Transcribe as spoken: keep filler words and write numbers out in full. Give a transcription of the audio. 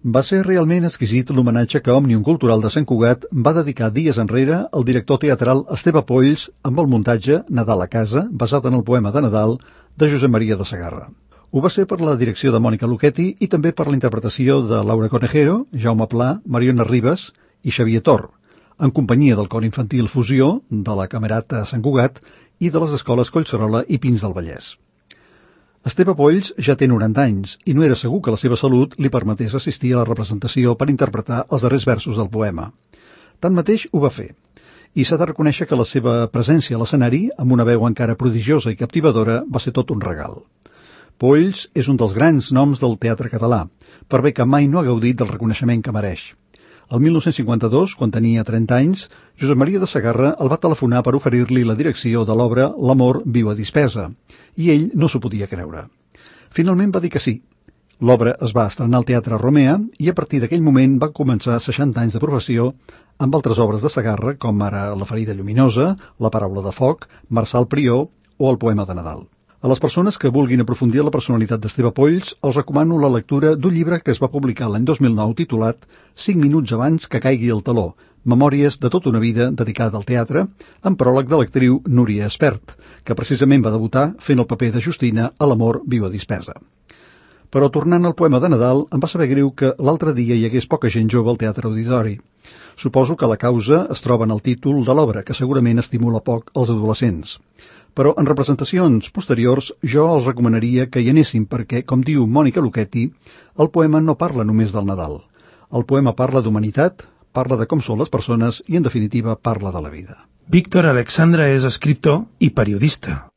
Va ser realment exquisit l'homenatge que Òmnium Cultural de Sant Cugat va dedicar dies enrere al director teatral Esteve Polls amb el muntatge Nadal a casa, basat en el poema de Nadal de Josep Maria de Sagarra. Ho va ser per la direcció de Mònica Luchetti i també per la interpretació de Laura Conejero, Jaume Pla, Mariona Ribas i Xavier Tor, en companyia del cor infantil Fusió, de la Camerata Sant Cugat i de les escoles Collserola i Pins del Vallès. Esteve Polls ja té noranta anys i no era segur que la seva salut li permetés assistir a la representació per interpretar els darrers versos del poema. Tanmateix ho va fer, i s'ha de reconèixer que la seva presència a l'escenari, amb una veu encara prodigiosa i captivadora, va ser tot un regal. Polls és un dels grans noms del teatre català, per bé que mai no ha gaudit del reconeixement que mereix. El mil nou-cents cinquanta-dos, quan tenia trenta anys, Josep Maria de Sagarra el va telefonar per oferir-li la direcció de l'obra L'amor viu a dispesa, i ell no s'ho podia creure. Finalment va dir que sí. L'obra es va estrenar al Teatre Romea i a partir d'aquell moment va començar seixanta anys de professió amb altres obres de Sagarra, com ara La ferida lluminosa, La paraula de foc, Marçal Prior o El poema de Nadal. A les persones que vulguin aprofundir en la personalitat d'Esteve Polls, els recomano la lectura d'un llibre que es va publicar l'any dos mil nou titulat Cinc minuts abans que caigui el teló, memòries de tota una vida dedicada al teatre, amb pròleg de l'actriu Núria Espert, que precisament va debutar fent el paper de Justina a L'amor viu a dispesa. Però tornant al poema de Nadal, em va saber greu que l'altre dia hi hagués poca gent jove al Teatre Auditori. Suposo que la causa es troba en el títol de l'obra, que segurament estimula poc els adolescents. Però en representacions posteriors jo els recomanaria que hi anessin perquè, com diu Mònica Luchetti, el poema no parla només del Nadal. El poema parla d'humanitat, parla de com són les persones i, en definitiva, parla de la vida. Víctor Alexandra és escriptor i periodista.